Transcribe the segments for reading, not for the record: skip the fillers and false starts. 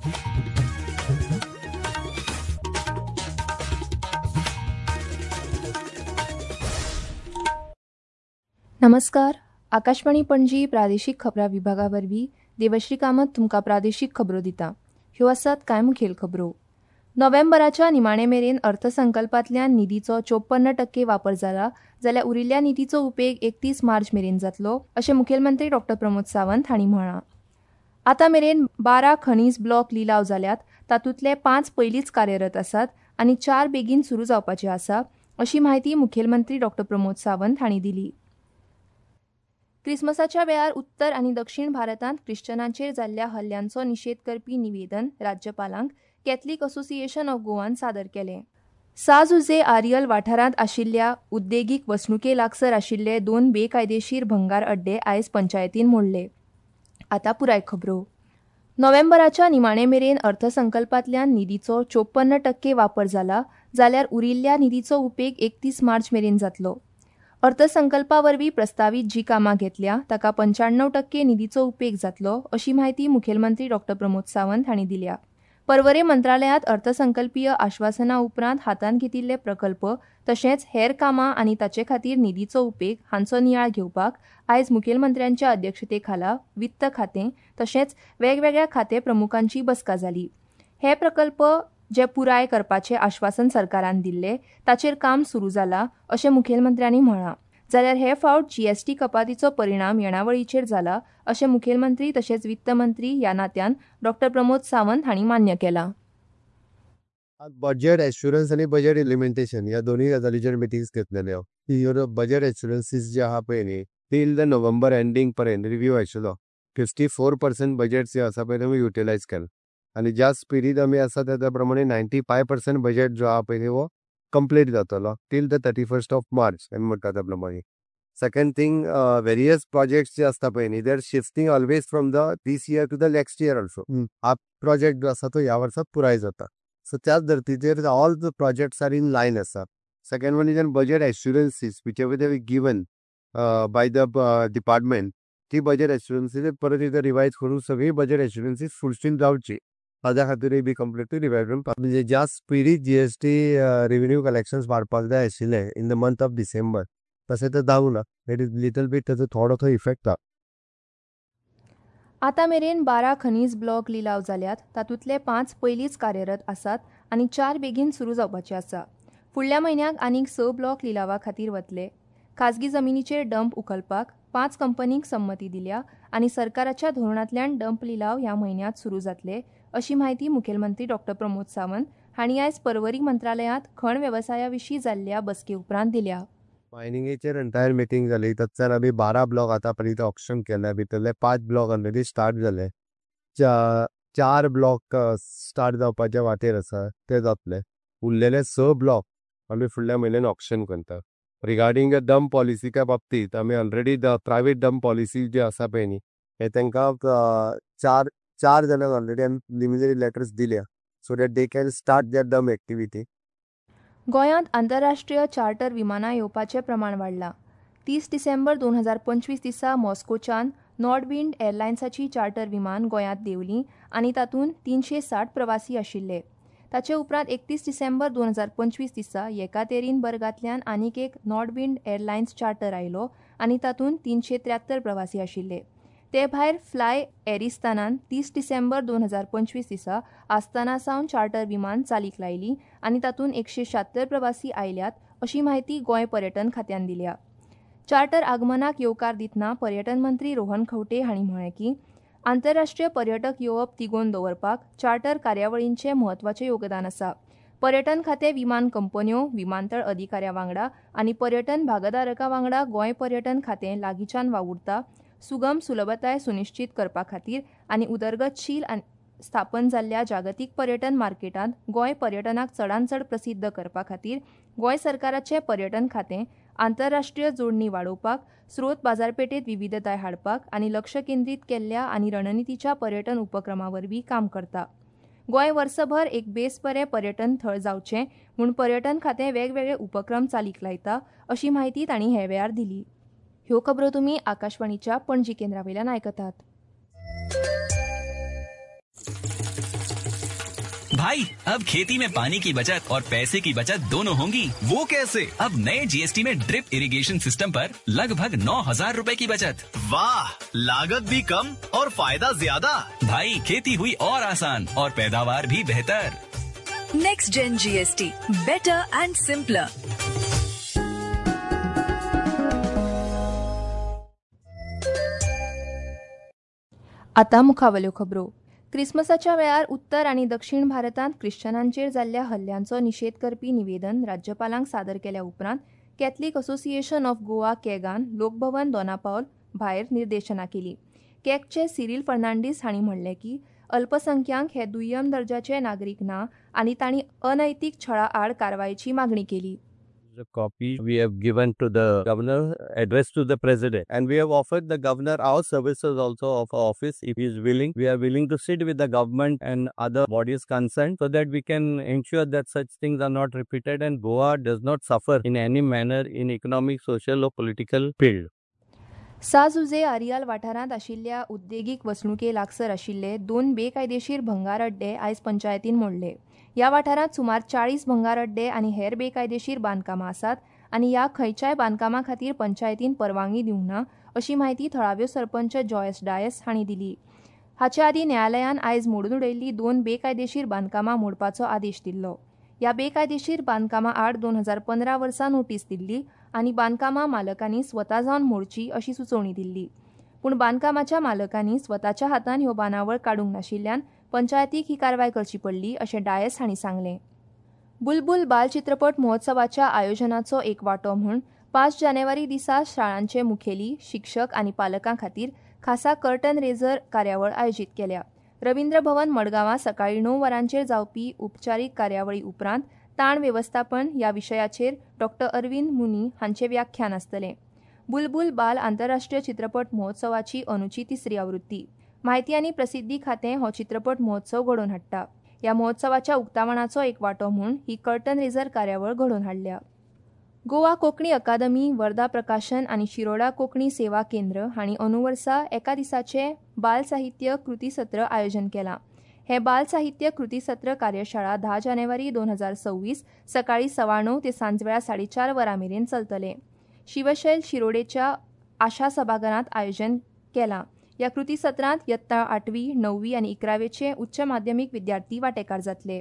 नमस्कार, आकाशवाणी पणजी प्रादेशीक खबरां विभागा वरवीं देवश्री कामत तुमकां प्रादेशीक खबरो दिता. ह्यो आसात कांय मुखेल खबरो. नोव्हेंबराच्या निमाणे मेरेन अर्थसंकल्पांतल्यान निधीचो 54% वापर जाला जाल्यार उरिल्ल्या निधीचो उपेग 31 मार्च मेरेन जातलो अशें मुखेलमंत्री डॉ प्रमोद सावंत हांणी म्हळां. आतां मेरेन 12 खनीज ब्लॉक लिलाव जाल्यात, तातूंतले 5 पयलींच कार्यरत आसात आनी 4 बेगीन सुरू जावपाचे आसा अशी म्हायती मुखेलमंत्री डॉ प्रमोद सावंत हांणी दिली. क्रिसमसाच्या वेळार उत्तर आनी दक्षिण भारतांत ख्रिश्चनांचेर जाल्ल्या हल्ल्यांचो निशेध करपी निवेदन राज्यपालांक कॅथलिक असोसिएशन ऑफ गोवान सादर केलें. साजुजे आरियल वाठारांत आशिल्ल्या उद्देगीक वसणुके लागसर आशिल्ले 2 बेकायदेशीर भंगार अड्डे आयज पंचायतीन मोडले. आतां पुराय खबरो. नोव्हेंबराच्या निमाणे मेरेन अर्थसंकल्पांतल्यान निधीचो 54% वापर जाला जाल्यार उरिल्ल्या निधीचो उपेग 31 मार्च मेरेन जातलो. अर्थसंकल्पा वरवीं प्रस्तावीत जी कामां घेतल्या ताका 95% निधीचो उपेग जातलो अशी म्हायती मुखेलमंत्री डॉ प्रमोद सावंत हांणी दिल्या. पर्वरे मंत्रालयांत अर्थसंकल्पीय आश्वासना उपरांत हातांत घेतिल्ले प्रकल्प तशेंच हेर कामां आनी ताचे खातीर निधीचो उपेग हांचो नियाळ घेवपाक आयज मुखेलमंत्र्यांच्या अध्यक्षते खाला वित्त खातें तशेंच वेगवेगळ्या खाते प्रमुखांची बसका जाली. हे प्रकल्प जे पुराय करपाचें आश्वासन सरकारान दिल्लें ताचेर काम सुरू जाला अशें मुखेलमंत्र्यांनी म्हळां. जाल्यार हे फावट जीएसटी कपातीचो परिणाम येणावळीचेर जाला अशें मुखेलमंत्री तशेंच वित्त मंत्री ह्या नात्यान डॉ प्रमोद सावंत हांणी मान्य केलां. बजेट एश्युरन्स आनी बजेट इम्प्लिमेंटेशन ह्या दोनूय गजालीचेर मिटिंग्स घेतलेल्यो. ह्यो बजेट एश्युरन्सीस जे आहा पळय न्ही तील the November ending पर्यंत रिव्यू आशिल्लो. 54% बजेट जे आसा पळय आमी युटिलायज केला आनी ज्या स्पिडीन आमी आसा त्या प्रमाणे 95% बजेट जो आहा पळय हो कंप्लीट जातलो till the 31st of March आमी म्हणटा त्या प्रमाणे. सेकंड थिंग, वेरियस प्रोजेक्ट्स जे आसता पळय न्ही they are shifting always from the this year to the next year also. हा प्रोजेक्ट जो आसा तो ह्या वर्साक पुराय जाता. सो त्याच धर्तीचेर all the projects are in line आसा. Second one is on budget assurances which ever they given by the department, ती बजेट एश्युरन्सीस परत एकदां रिवायज करून सगळी बजेट एश्युरन्सीस फुलफील जावची ताज्या खातीरूय बी कंप्लिटली रिवायज करून, म्हणजे ज्या स्पिडीत जीएसटी रेव्हेन्यू कलेक्शन्स वाडपाक जाय आशिल्लें in the month of December तशें तें जावंक ना. It is little bit ताचो थोडोसो इफेक्ट आहा. आतां मेरेन 12 खनीज ब्लॉक लिलाव जाल्यात, तातूंतले 5 पयलींच कार्यरत आसात आनी 4 बेगीन सुरू जावपाचे आसा. फुडल्या म्हयन्याक आनीक 6 ब्लॉक लिलावा खातीर वतले. खाजगी जमिनीचेर डंप उखलपाक 5 कंपनींक संमती दिल्या आनी सरकाराच्या धोरणांतल्यान डंप लिलाव ह्या म्हयन्यांत सुरू जातले अशी म्हायती मुखेलमंत्री डॉ प्रमोद सावंत हांणी आयज पर्वरी मंत्रालयांत खण वेवसाया विशीं जाल्ल्या बसके उपरांत दिल्या. मायनिंगेचेर एंटायर मिटींग जाली. तातूंतल्यान आमी 12 ब्लॉक आतां पर्यंत ऑक्शन केल्या. भितरले 5 ब्लॉक ऑलरेडी स्टार्ट जाले. 4 ब्लॉक स्टार्ट जावपाच्या वाटेर आसा ते जातले. उरलेले 6 ब्लॉक आमी फुडल्या म्हयन्यान ऑक्शन करता. रिगार्डींग the dump पॉलिसीच्या बाबतींत आमी already the private dump policy जी आसा पळय न्ही हे तांकां 4 जाणांक ऑलरेडी आमी प्रिलिमिनरी लेटर्स दिल्या so that they can start their dump activity. गोंयांत आंतरराष्ट्रीय चार्टर विमानां येवपाचें प्रमाण वाडलां. 30 डिसेंबर 2025 दिसा मॉस्कोच्यान नॉर्डविंड एअरलायन्साची चार्टर विमान गोंयांत देंवली आनी तातूंत 360 प्रवासी आशिल्ले. ताचे उपरांत 31 डिसेंबर 2025 दिसा येकातेरीनबर्गांतल्यान आनीक एक नॉर्डविंड एअरलायन्स चार्टर आयलो आनी तातूंत 373 प्रवासी आशिल्ले. ते भायर फ्लाय एरिस्तानान 30 डिसेंबर 2025 दिसा आस्ताना सावन चार्टर विमान चालीक लायली आनी तातूंत 176 प्रवासी आयल्यात अशी म्हायती गोंय पर्यटन खात्यान दिल्या. चार्टर आगमनाक येवकार दितना पर्यटन मंत्री रोहन खंवटे हांणी म्हळें की आंतरराष्ट्रीय पर्यटक येवप तिगोवन दवरपाक चार्टर कार्यावळींचें म्हत्वाचें योगदान आसा. पर्यटन खातें विमान कंपन्यो, विमानतळ अधिकाऱ्यां वांगडा आनी पर्यटन भागधारकां वांगडा गोंय पर्यटन खातें लागींच्यान वावुरता. सुगम सुलभताय सुनिश्चित करपा खातीर आनी उदरगतशील स्थापन जाल्ल्या जागतीक पर्यटन मार्केटांत गोंय पर्यटनाक चडांत चड प्रसिद्ध करपा खातीर गोंय सरकाराचें पर्यटन खातें आंतरराष्ट्रीय जोडणी वाडोवपाक, स्रोत बाजारपेठेत विविधताय हाडपाक आनी लक्ष केंद्रीत केल्ल्या आनी रणनितीच्या पर्यटन उपक्रमा वरवीं काम करता. गोंय वर्सभर एक बेस बरें पर्यटन थळ जावचें म्हूण पर्यटन खातें वेगवेगळे उपक्रम चालीक लायता अशी म्हायती तांणी हे वेळार दिली. ह्यो खबरो तुमी आकाशवाणीच्या पणजी केंद्रा वयल्यान आयकतात. भाई, अब खेती में पानी की बचत और पैसे की बचत दोनों होंगी। वो कैसे? अब नए जीएसटी में ड्रिप इरिगेशन सिस्टम पर लगभग 9,000 रुपए की बचत। वाह, लागत भी कम और फायदा ज्यादा। भाई, खेती हुई और आसान और पैदावार भी बेहतर। Next gen GST, better and simpler. आता मुखावल्यो खबरो. क्रिसमसाच्या वेळार उत्तर आनी दक्षिण भारतांत क्रिश्चनांचेर जाल्ल्या हल्ल्यांचो निशेध करपी निवेदन राज्यपालांक सादर केल्या उपरांत कॅथलिक असोसिएशन ऑफ गोवा केगान लोकभवन दोनापावल भायर निर्देशना केली. केगचे सिरील फर्नांडीस हांणी म्हणलें की अल्पसंख्यांक हे दुय्यम दर्जाचे नागरीक ना आनी तांणी अनैतीक छळा आड कारवायेची मागणी केली. The copy we have given to the governor, addressed to the president, and we have offered the governor our services also of our office. If he is willing, we are willing to sit with the government and other bodies concerned so that we can ensure that such things are not repeated and Goa does not suffer in any manner in economic, social or political field. São Jose Areal वाठारांत आशिल्ल्या उद्देगीक वसणुके लागसर आशिल्ले 2 बेकायदेशीर भंगार अड्डे आयज पंचायतीन मोडले. ह्या वाठारांत सुमार 40 भंगार अड्डे आनी हेर बेकायदेशीर बांदकामां आसात आनी ह्या खंयच्याय बांदकामां खातीर पंचायतीन परवानगी दिवंक ना अशी म्हायती थळाव्यो सरपंच जॉयस डायस हांणी दिली. हाचे आदीं न्यायालयान आयज मोडून उडयल्ली 2 बेकायदेशीर बांदकामां मोडपाचो आदेश दिल्लो. ह्या बेकायदेशीर बांदकामां आड 2015 वर्सा नोटीस दिल्ली आनी बांदकामां मालकांनी स्वता जावन मोडची अशी सुचोवणी दिल्ली. पूण बांदकामाच्या मालकांनी स्वताच्या हातान ह्यो बांदावळ काडूंक नाशिल्ल्यान पंचायतीक ही कारवाय करची पडली अशें डायस हांणी सांगलें. बुलबुल बाल चित्रपट महोत्सवाच्या आयोजनाचो एक वांटो म्हूण 5 जानेवारी दिसा शाळांचे मुखेली, शिक्षक आनी पालकां खातीर खासा कर्टन रेझर कार्यावळ आयोजीत केल्या. रवींद्र भवन मडगांवां सकाळीं 9 वरांचेर जावपी उपचारीक कार्यावळी उपरांत ताण वेवस्थापन ह्या विशयाचेर डॉ अरविंद मुनी हांचें व्याख्यान आसतलें. बुलबुल बाल आंतरराष्ट्रीय चित्रपट महोत्सवाची अनुची 3री आवृत्ती. म्हायती आनी प्रसिद्धी खातें हो चित्रपट महोत्सव घडोवन हाडटा. ह्या महोत्सवाच्या उक्तावणाचो एक वांटो म्हूण ही कर्टन रेझर कार्यावळ घडोवन हाडल्या. गोवा कोंकणी अकादमी, वर्धा प्रकाशन आनी शिरोडा कोंकणी सेवा केंद्र हांणी अनुवर्सा एका दिसाचें बाल साहित्य कृती सत्र आयोजन केलां. हें बाल साहित्य कृती सत्र कार्यशाळा 10 जानेवारी 2026 सकाळीं 9:15 ते सांजवेळा 4:30 वरां मेरेन चलतलें. शिवशैल शिरोडेच्या आशा सभाघरांत आयोजन केलां. ह्या कृती सत्रांत यत्ता 8वी, 9वी आनी 11वेचे उच्च माध्यमीक विद्यार्थी वांटेकार जातले.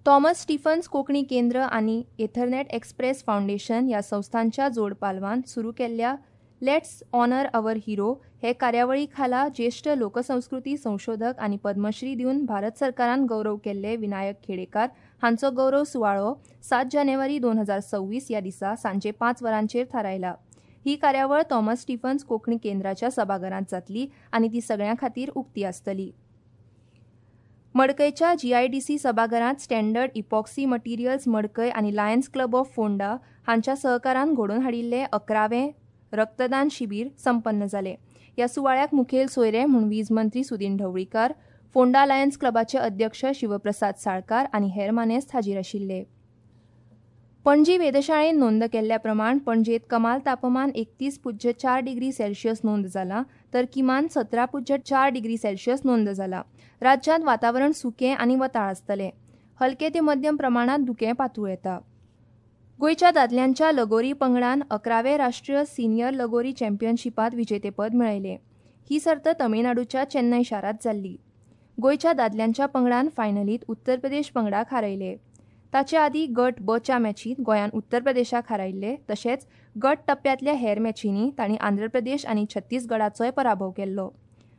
थॉमस स्टीफन्स कोंकणी केंद्र आनी एथरनेट एक्सप्रेस फावंडेशन ह्या संस्थांच्या जोडपालवान सुरू केल्ल्या let's honour our hero हे कार्यावळी खाला ज्येश्ठ लोकसंस्कृती संशोधक आनी पद्मश्री दिवन भारत सरकारान गौरव केल्ले विनायक खेडेकार हांचो गौरव सुवाळो 7 जानेवारी 2026 ह्या दिसा सांजे 5 वरांचेर थारायला. ही कार्यावळ थॉमस स्टीफन्स कोंकणी केंद्राच्या सभाघरांत जातली आनी ती सगळ्यां खातीर उक्ती आसतली. मडकयच्या जीआयडीसी सभाघरांत स्टँडर्ड इपॉक्सी मटेरियल्स मडकय आनी लायन्स क्लब ऑफ फोंडा हांच्या सहकारान घडोवन हाडिल्लें 11वें रक्तदान शिबीर संपन्न जालें. ह्या सुवाळ्याक मुखेल सोयरे म्हूण वीज मंत्री सुदीन ढवळीकार, फोंडा लायन्स क्लबाचे अध्यक्ष शिवप्रसाद साळकार आनी हेर मानेस्त हाजीर आशिल्ले. पणजी वेधशाळेन नोंद केल्ल्या प्रमाण पणजेत कमाल तापमान 31.4 डिग्री सेल्सियस नोंद जाला, तर किमान 17.4 डिग्री सेल्सियस नोंद जाला. राज्यांत वातावरण सुकें आनी वताळ आसतलें. हलके ते मध्यम प्रमाणांत धुकें पातळूं येता. गोंयच्या दादल्यांच्या लगोरी पंगडान 11वे राष्ट्रीय सिनियर लगोरी चॅम्पियनशिपांत विजेतेपद मेळयलें. ही सर्त तमिळनाडूच्या चेन्नय शारांत जाल्ली. गोंयच्या दादल्यांच्या पंगडान फायनलींत उत्तर प्रदेश पंगडाक हारयले. ताचे आदीं गट ब च्या मॅचींत गोंयान उत्तर प्रदेशाक हारयल्ले. तशेंच गट टप्प्यांतल्या हेर मॅचींनी तांणी आंध्र प्रदेश आनी छत्तीसगडाचोय पराभव केल्लो.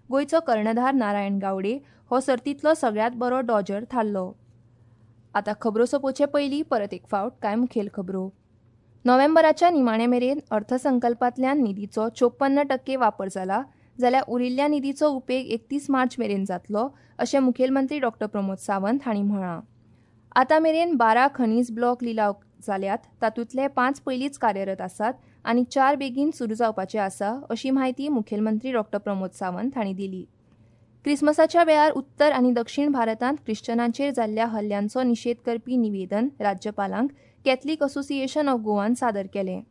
गोंयचो कर्णधार नारायण गावडे हो सर्तींतलो सगळ्यांत बरो डॉजर थारलो. आतां खबरो सोंपोवचे पयलीं परत एक फावट कांय मुखेल खबरो. नोव्हेंबराच्या निमाणे मेरेन अर्थसंकल्पांतल्यान निधीचो 54% वापर जाला, जाल्यार उरिल्ल्या निधीचो उपेग 31 मार्च मेरेन जातलो अशें मुखेलमंत्री डॉ प्रमोद सावंत हांणी म्हळां. आतां मेरेन 12 खनीज ब्लॉक लिलाव जाल्यात, तातूंतले 5 पयलींच कार्यरत आसात आनी 4 बेगीन सुरू जावपाचे आसा अशी म्हायती मुखेलमंत्री डॉ प्रमोद सावंत हांणी दिली. क्रिसमसाच्या वेळार उत्तर आनी दक्षिण भारतांत क्रिश्चनांचेर जाल्ल्या हल्ल्यांचो निशेध करपी निवेदन राज्यपालांक कॅथलिक असोसिएशन ऑफ गोवान सादर केलें.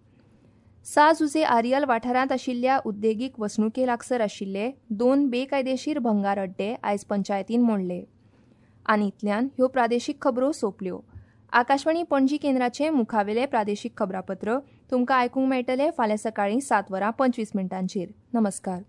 साजुजे आरियल वाठारांत आशिल्ल्या उद्देगीक वसणुके लागसर आशिल्ले 2 बेकायदेशीर भंगार अड्डे आयज पंचायतीन मोडले. आनी इतल्यान ह्यो प्रादेशीक खबरो सोंपल्यो. आकाशवाणी पणजी केंद्राचें मुखावेलें प्रादेशीक खबरापत्र तुमकां आयकूंक मेळटलें फाल्यां सकाळीं 7 वरां 25 मिनटांचेर. नमस्कार.